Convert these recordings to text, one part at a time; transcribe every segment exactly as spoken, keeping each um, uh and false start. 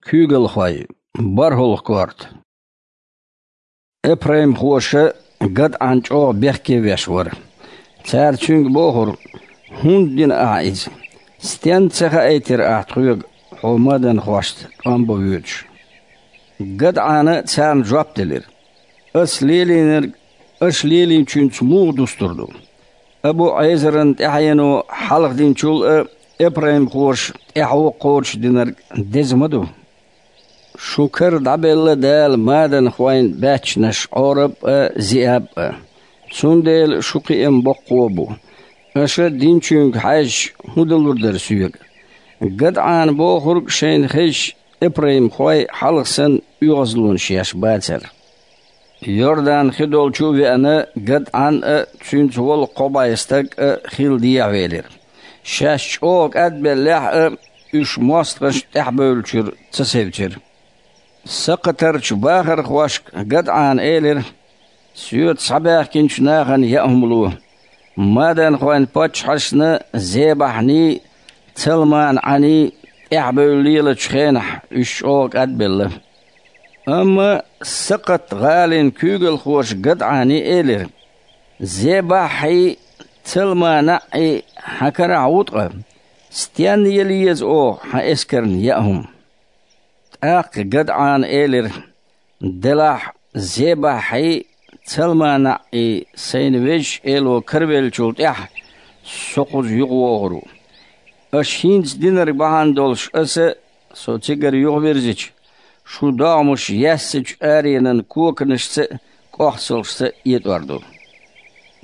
Куьйгалхой. БархӀалгӀа корта. Эпраймхоша ГадӀан чӀогӀа бехке веш вара. Цара цуьнга бохура: «ХӀунда дина ахьа иза? Стенна ца хаийтира ахьа тхоьга, хьо маданхошца тӀом бан воьдуш?» ГадӀана царна жоп делира: «Ас лелийнарг аша лелийначуьнца муха дустур ду? Абу-Ӏезаран тӀаьхьено хьалха динчул а эпраймхоша тӀаьхьо кхочушдинарг деза ма ду. Шун кара дӀабелла Дала маданхойн баьччанаш Ӏораб а, Зиаб а. Цундела шун кхиам боккхо бу. Аша динчуьнга хьаьжча, хӀун далур дара соьга?» ГадӀана бохург шайна хезча, эпраймхой хьалха санна оьгӀазлонаш еш бацара. Йордан хи долчу а веана, ГадӀан а, цуьнца волу кхо бӀе стаг а хила дехьавелира. Шаьш чӀогӀа кӀадбеллехь а, уьш мостагӀашна тӀаьхьабевллачуьра ца севцира. Сакхатарчу бахархошка ГадӀана элира: «Соьца схьабаьхкинчу нахана яа хӀума ло. Маданхойн паччахьашна Зебахьний, Цалмана-Ӏаний тӀаьхьабевлла лелачу хенахь уьш чӀогӀа кӀадбелла». Амма Сакхат-гӀалин куьйгалхоша ГадӀани элира: «Зебахьий, Цалмана-Ӏий хьан карахь ву ткъа? Стенна яла еза оха хьан эскарна яа хӀума?» ТӀаккха ГадӀана элира: «Делахь, Зебахьий, Цалмана-Ӏий сайна Везачу Эло каравеллачул тӀаьхьа со кхуза юхавогӀур ву. Аша хӀинца динарг бахьана долуш аса, со цигара юхавирзича, шун догӀмаш яьссачу аренан коканашца а, кӀохцалшца а этӀор ду».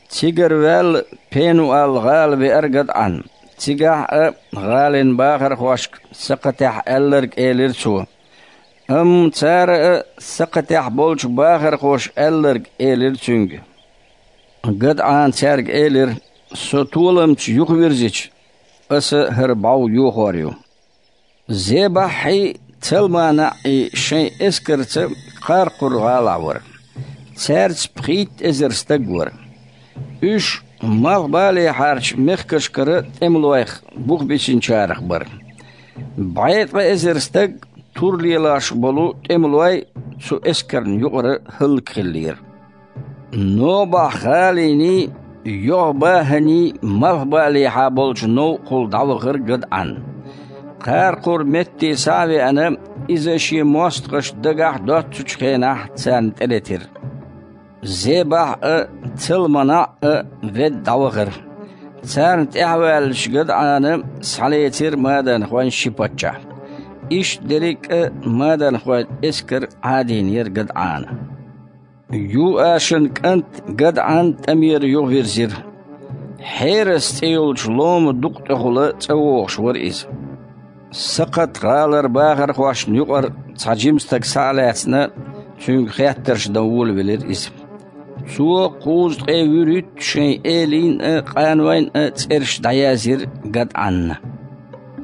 Цигара ваьлла, Пенуал-гӀала веара ГадӀан. Цигахь а гӀалин бахархошка Сакхатехь аьлларг элира цо. Амма цара а Сакхатехь болчу бахархоша аьлларг элира цуьнга. ГадӀана цаьрга элира: «Со толамца юхавирзича, аса хӀара бӀов йохор ю». Зебахьий, Цалмана-Ӏий шайн эскарца Кхаркхур-гӀалахь вара. Цаьрца пхийтта эзар стаг вара. Уьш малхбалехьарчу мехкашкара тӀемалойх бух бисинчарах бара. БӀе ткъа эзар стаг тур лелош болу тӀемалой цу эскарна юкъара хӀаллакьхиллера. Нобахь-гӀалиний, ЙохӀ-БахӀаний малхбалехьа болчу новкъахула дӀавахара ГадӀан. Кхаркхур метте схьа а веана, иза шен мостагӀаш дагахь доццучу хенахь царна тӀелетира. Зебахь а, Цалмана-Ӏ а ведда дӀавахара. Царна тӀаьхьаваьллачу ГадӀана схьалецира маданхойн ши паччахь. Иштта дерриг а маданхойн эскар Ӏадийнера ГадӀана. Юашан кӀант ГадӀан тӀамера юхавирзира. Хьерас цӀе йолчу лома дукъа тӀехула цӀа вогӀуш вара иза. Сакхат-гӀалара бахархошна юкъара цхьа жима стаг схьа а лаьцна, цуьнга хеттарш дан волавелира иза. Цо кхузткъе вуьрхӀитта шайн элийна а, къанойн а цӀераш дӀаязйира ГадӀанна.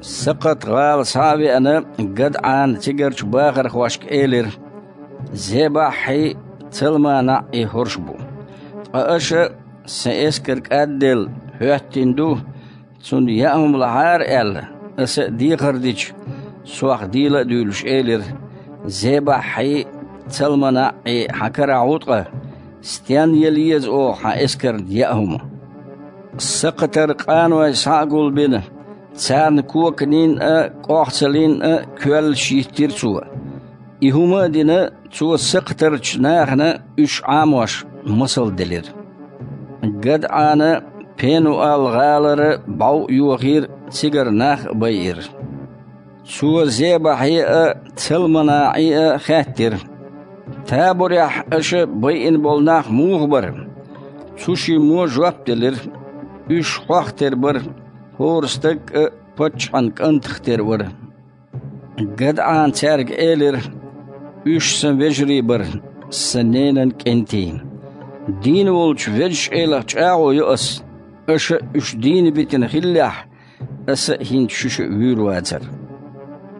Сакхат-гӀала схьа а веана, ГадӀана цигарчу бахархошка элира: «Зебахьий, Цалмана-Ӏий хӀорш бу. Ткъа аша, сан эскар кӀадделла, хӀоьттина ду, цунна яа хӀума лахьара аьлла, аса а дехар дича, сох дийла а дуьйлуш элира: „Зебахьий, Цалмана-Ӏий хьан карахь ву ткъа? Стенна яла еза оха хьан эскарна яа хӀума?“ Сакхатара къаной схьа а гулбина, царна коканийн а, кӀохцаллин а коьллаш йиттира цо. И хӀума а дина, цо сакхатарчу нахана уьш Ӏамош масал делира. ГадӀана Пенуал-гӀалара бӀов а йохийра, цигара нах а байира. Цо Зебахье а, Цалмана-Ӏе а хаьттира: «Таборехь аша байина болу нах муха бара?» Цу шиммо жоп делира: «Уьш хьох тера бара, хӀора стаг а паччахьан кӀантах тера вара». ГадӀана цаьрга элира: «Уьш сан вежарий бара, сан ненан кӀентий. Дийна волчу Везачу Элах чӀагӀо йо ас, аша уьш дийна битина хиллехь, аса а хӀинца шуьша а вуьйр вацара».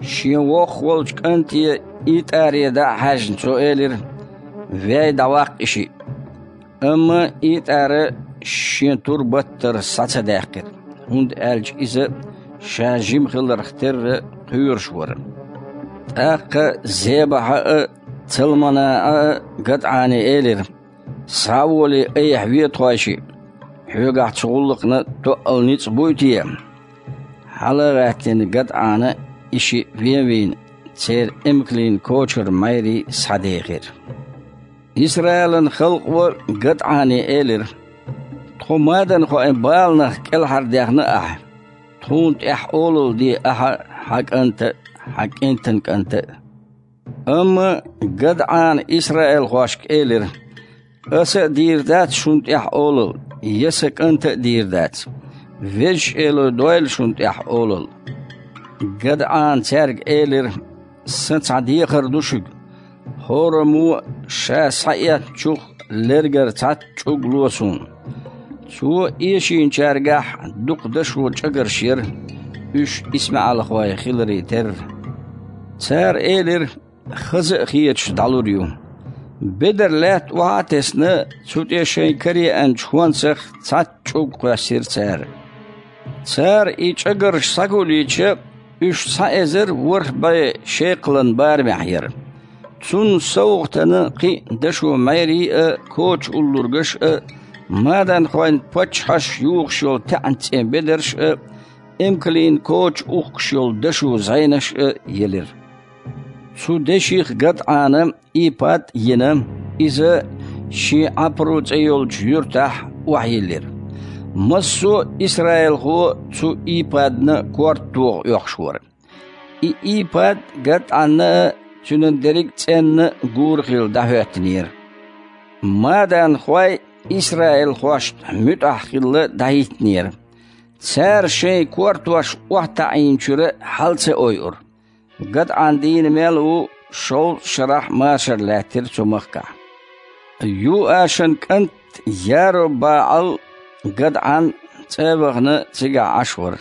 Шен воккхах волчу кӀанте ИтӀаре дӀа а хьаьжна, цо элира: «Вей, дӀаваккха и шиъ». Амма ИтӀара шен тур баттара схьа ца даьккхира, хӀунда аьлча иза ша жима хиларх терра кхоьруш вара. ТӀаккха Зебаха а, Цалманаъа а ГадӀане элира: «СхьаволеӀа айхьа ве тхойшиъ, хьоьгахь цу гӀуллакхна тоъал ницкъ буй те?» Хьала а гӀаьттина, ГадӀана и шиъ вен а вийна, церан эмкалийн кочара майрий схьадехира. Исраилан халкъо ГадӀане элира: «Тхо маданхойн баланах кӀелхьардаьхна ахьа. Тхуна тӀехь олалла де ахьа, хьан кӀанта а, хьан кӀентан кӀанта а». Амма ГадӀана исраилхошка элира: «Аса а дийр дац шуна тӀехь олалла, я сан кӀанта а дийр дац. Везачу Эло дойла шуна тӀехь олалла». ГадӀана цаьрга элира: «Сан цхьа дехар ду шуьга. ХӀораммо ша схьаэцначух лергара цхьацца чӀуг ло суна». Цо эшийначаьргахь дукха дашо чӀагарш яра, уьш исмаӀалхой хиларе терра. Цара элира: «Хаза а хеташ дӀалур ю». Бедар лаьтта охьа а тесна, цу тӀе шайн караеанчу хӀонсах цхьацца чӀуг кхоьссира цара. Цара и чӀагарш схьагулйича, уьш цхьа эзар ворхӀ бӀе шекхалан барамехь яра. Цунна совгӀатана кхин а дашо майрий а, коча уллургаш а, маданхойн паччахьаш юхуш йолу таьӀна цӀен бедарш а, эмкалийн коча ухкуш йолу дашо зӀенаш а елира. Цу деших ГадӀана ипад а йина, иза шен Ӏапру цӀе йолчу юьртахь охьайиллира. Массо а исраилхо цу ипадна корта тоха оьхуш вара. И ипад ГадӀанна а, цуьнан дерриг а цӀенна а гура хилла дӀахӀоьттинера. Маданхой исраилхошна муьтӀахь хилла дӀахӀиттинера. Цара шайн кортош охьатаӀийначуьра хьала ца ойура. ГадӀан дийна мел ву шовзткъа шарахь машар лаьттира цу махкахь. Юашан кӀант Яруб-БаӀал ГадӀан цӀа а вахана цигахь Ӏаш вара.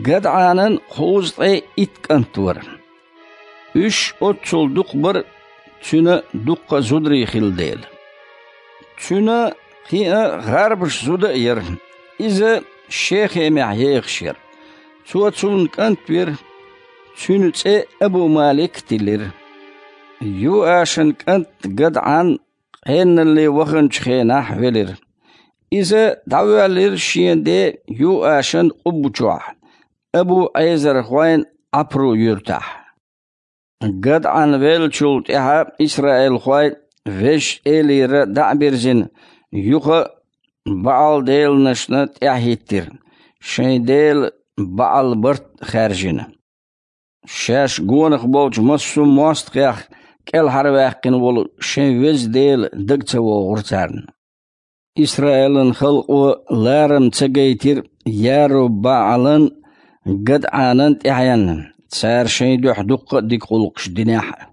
ГадӀанан кхузткъе итт кӀант вара. Уьш оццул дукха бара, цуьнан дуккха а зударий хилла дела. Цуьнан кхин а гӀарбаша зуда а яра. Иза Шехемехь ехаш яра. Цо цунна кӀант вира. Цуьнан цӀе Абу-Малик тиллира. Юашан кӀант ГадӀан къеналле ваханчу хенахь велира. Иза дӀавоьллира шен ден Юашан къубба чохь, абу-Ӏезархойн Ӏапру юьртахь. ГадӀан веллачул тӀаьхьа исраилхой Везачу Элера дӀа а бирзина, юха а БаӀал-деланашна тӀаьхьахӀиттира, шайн дела БаӀал-барт а хаьржина. Шаьш гонах болчу массо а мостагӀех кӀелхьарваьккхина волу шайн Веза Дела дага ца вогӀура царна. Исраилан халкъо ларам ца гайтира Яруб-БаӀалан, ГадӀанан тӀаьхьенна, цара шайн дуьхьа дуккха а дика гӀуллакхаш динехь а.